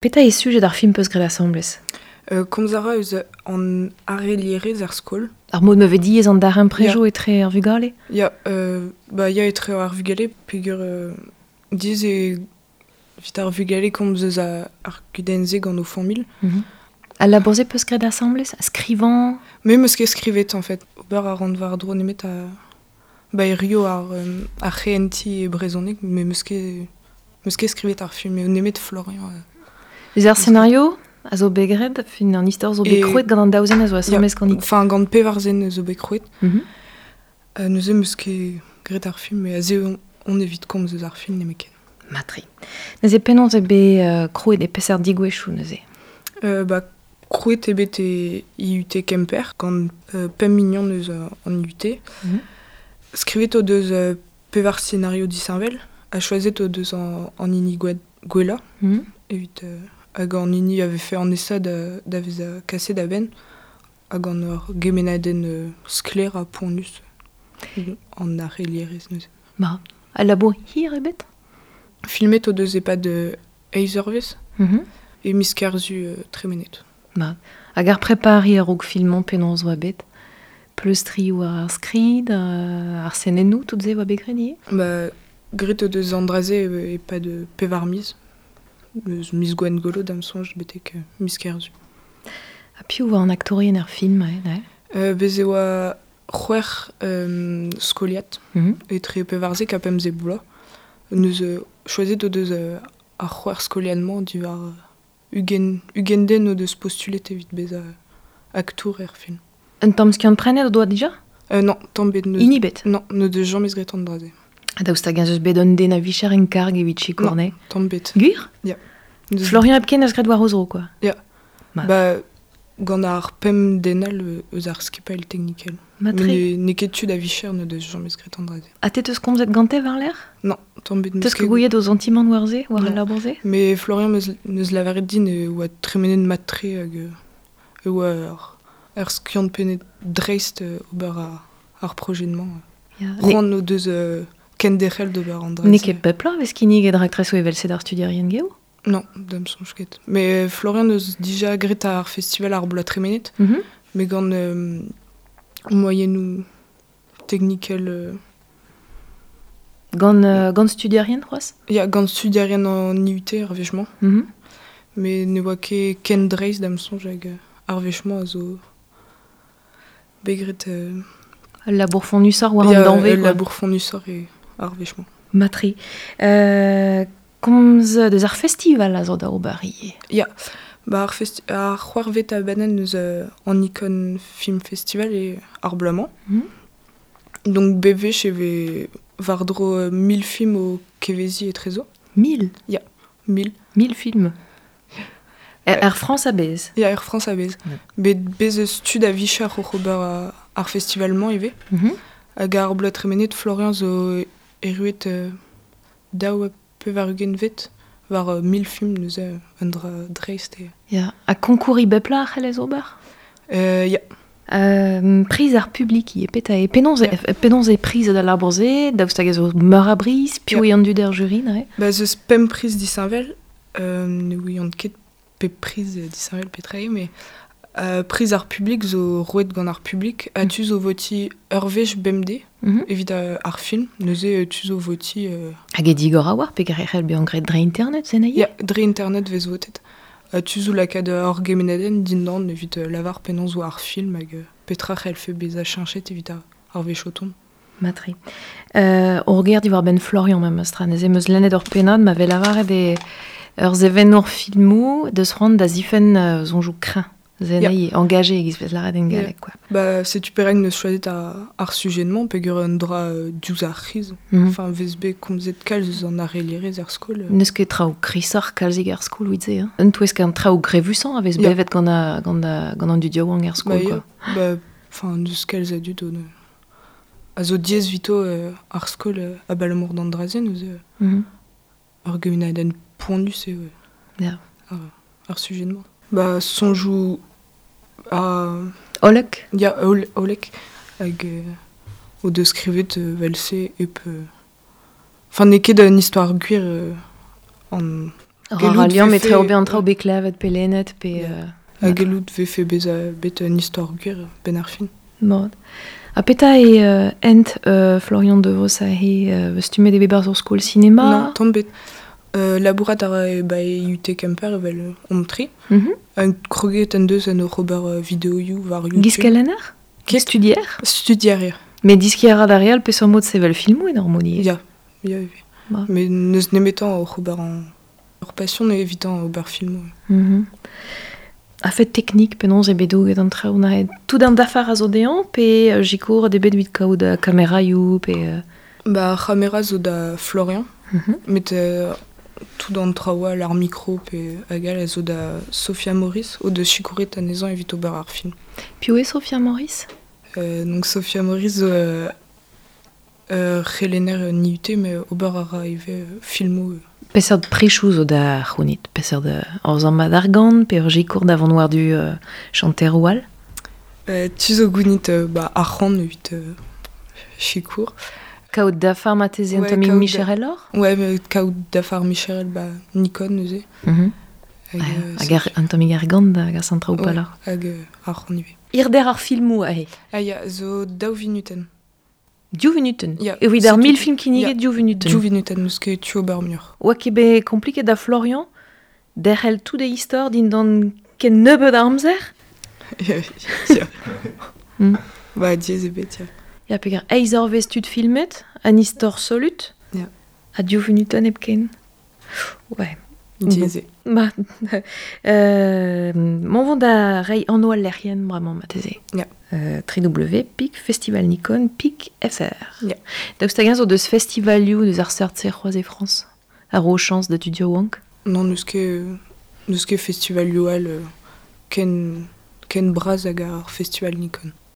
Petra eo sujet ar film peus graet asambles? Komz a ra eus an arelierezh er skol. Ar mod ma vez diaes an darempredoù etre ar vugale? Ya, ba ya etre ar vugale peogwir diaes eo evit ar vugale komz eus ar gudenn-se gant o familh. Al labour-se peus graet asambles? Skrivañ? Me 'meus ket skrivet en fait. Ober a ran war-dro nemet a ba hirio ar c'hehentiñ e brezhoneg, me 'meus ket 'meus ket skrivet ar film, nemet Florian. Eus ar scenario a zo bet graet, fin an istor zo bet krouet gant an daou zen a zo asambles ganit. Enfin, gant pevar zen zo bet krouet. Neuze 'meus ket graet ar film, met aze on evit komz eus ar film nemetken. Mat-tre. Neuze penaos eo bet krouet e peseurt degouezhioù neuze? Ba, krouet eo bet e IUT Kemper gant pemp mignon eus an IUT. Skrivet o deus pevar scenario disheñvel ha choazet o deus an hini gwellañ evit hag an hini a vefe an aesañ da vezañ kaset a-benn hag an ur gemennadenn sklaer ha poanius an arc'helierezh neuze. Ma, al labour hir eo bet? Filmet o deus e-pad eizh eurvezh e miz Kerzu tremenet. Ma, hag ar prepariñ a-raok filmañ penaos oa bet? Pleustriñ war ar skrid, ar senennoù, tout se oa bet graet ivez? Ba, graet o deus an dra-se e-pad pevar miz. Eus miz Gwengolo da'm soñj betek miz Kerzu. Ha piv oa an aktourien er film neuze? Bez' e oa c'hwec'h skoliad etre 14 ha 15 bloaz. Neuze choazet o deus ar c'hwec'h skoliad-mañ diwar 20 den o deus postulet evit bezañ aktour er film. Un tamm skiant-prenet o doa dija? Non, tamm bet. Hini bet? Non, n'o deus james graet an dra-se. Ha daoust hag-eñ eus bet un den a vicher en karg evit sikour anezhe? Tamm bet. Gwir? Ya. Florian hepken eus graet war o zro, quoi. Ya. Ba, gant ar pemp den all eus ar skipailh teknikel. Matre. N'eo ket tud a vicher n'o deus james graet an dra-se. Ha te teus komzet gante war-lerc'h? Non, tamm bet. Teus ket gouiet o santimant war se, war al labour-se? Mais Florian neus lavaret din e oa tremenet mat-tre hag e oa ur skiant-penet dreist ober ar projet-mañ. C'hoant o deus kenderc'hel d'ober an dra-se. N'eo ket pep bloaz vez kinniget raktresoù evel-se d'ar studierien geo? Non, da'm soñj ket. Mais Florian neus dija graet ar festival ar bloaz tremenet, mais gant moiennoù teknikel... Gant studierien c'hoazh? Ya, gant studierien an IUT ar wech-mañ. Mais ne oa ket ken dreist da'm soñj hag ar wech-mañ a zo bet graet... Ul labour fonnusoc'h war an danvez. Ul labour fonnusoc'h eo ar wech-mañ. Mat-tre. Komz deus ar festival a zo da ober ivez. Ya, ba ar c'hwec'hvet abadenn eus an Nikon Film Festival eo ar bloaz-mañ. Donc bep wech e vez war-dro 1000 film o keveziñ etrezo. 1000? Ya, 1000. 1000 films. Er Frañs a-bezh? Ya, er Frañs a-bezh. Bet bez eus tud a vicher oc'h ober ar festival-mañ ivez. Hag ar bloaz tremenet, Florian zo erruet 82vet war 1000 film neuze un dra dreist eo. Ya, ha konkouriñ bep bloaz a c'hellez ober? Ya. Priz ar publik ivez, petra eo? Penaos eo prizet al labour-se? Daoust hag ez eus meur a briz? Piv eo an dud er jury neuze? Ba, ez eus pemp priz disheñvel. Ne ouian ket pep priz disheñvel petra eo, mais priz ar publik zo roet gant ar publik ha tu zo votiñ ur wech bemdez evit ar film. Neuze tu zo votiñ... Hag e digor a oar peger e c'hell bezañ graet dre internet, se Ya, dre internet vez votet. Tu zo lakaat ur gemennadenn dindan evit lavar penaos oa ar film hag petra c'hellfe bezañ cheñchet evit ar wech o tont. Mat-tre. Ur ger diwar-benn Florian memes tra. Neuze em eus lennet ur pennad ma vez lavaret eo ur sevenour filmoù deus c'hoant da zifenn soñjoù kreñv. Zenei engagé e giz vez lavaret en galleg, quoi. Ba, setu perak neus choazet ar sujet-mañ peogwir un dra diouzh ar c'hiz. Enfin, vez bet komzet kalz eus an arelierezh er skol. N'eus ket traoù krisoc'h kalzik er skol evit se, hein? Un touesk an traoù grevusañ a vez bevet gant an dud yaouank er skol, quoi. Ba, enfin, n'eus kalz a dud a zo diaes evito ar skol abalamour d'an dra-se, neuze ur gemennadenn poanius eo ar sujet-mañ. Ba, soñjoù Hollek? Ya, hollek. Hag o deus skrivet evel-se hep... Enfin, n'eo ket un istor gwir an... Ra liamm etre ober an traoù bet klevet pe lennet pe... Ha gellout vefe bezañ bet un istor gwir benn ar fin. Mat. Ha petra eo hent Florian Devos aze stummet eo bet 'barzh ur skol sinema? Non, tamm bet. Labourat a ra ba IUT Kemper evel omp tri. Mm Kroget en deus en oc'h ober videoioù war YouTube. Giz-kelenner? Ket. Studier? Studier, ya. Met diskiñ a ra d'ar re all peseurt mod sevel filmoù en ur mod ivez. Ya, ya ivez. Met n'eus nemetañ oc'h ober an... Ur pasion eo evitañ ober filmoù. Mm A-fet teknik, penaos eo bet douget an traoù neuze? Tout an dafar a zo dezhañ pe sikour eo bet evit kaout kameraioù pe... Ba ar c'hamera zo da Florian, met tout an traoù all, ar mikro pe hag all a zo da Sophia Maurice, o deus sikouret anezhañ evit ober ar film. Piv eo Sophia Maurice? Donc Sophia Maurice zo ur c'helenner en IUT, met ober a ra ivez filmoù. Peseurt prechoù zo da c'hounit? Peseurt ur sammad argant pe ur sikour da vont war-du chanteroù all? Tu zo gounit ba, arc'hant evit sikour. Kaout dafar marteze un tammig michereloc'h? Ouais, mais kaout dafar micherel ba Nikon neuze. Hag, hag un tammig argant da gas an traoù pelloc'h. Hag arc'hant ivez. Hirder ar filmoù aze? Ah ya, zo daou vinutenn. Div vunutenn? Ya. Evit ar mil film kinniget, div vunutenn? Div vunutenn, n'eus ket tu ober muioc'h. Oa ket bet kompliket da Florian derc'hel tout e istor dindan ken nebeut a amzer? Ya. Ba, diaes eo bet, ya. Ya, peger eizh eurvezh tud filmet, an istor solut, Ya. ha div vunutenn hepken. Ouais. Diaes eo. Ma, mont vont da reiñ anv al lec'hienn bremañ marteze. Ya. www.festivalnikon.fr. Ya. Daoust hag-eñ zo deus festivalioù deus ar seurt-se c'hoazh e Frañs? A ro chañs da tud yaouank? Non, n'eus ket, n'eus ket festivalioù all ken, ken bras hag ar festival Nikon.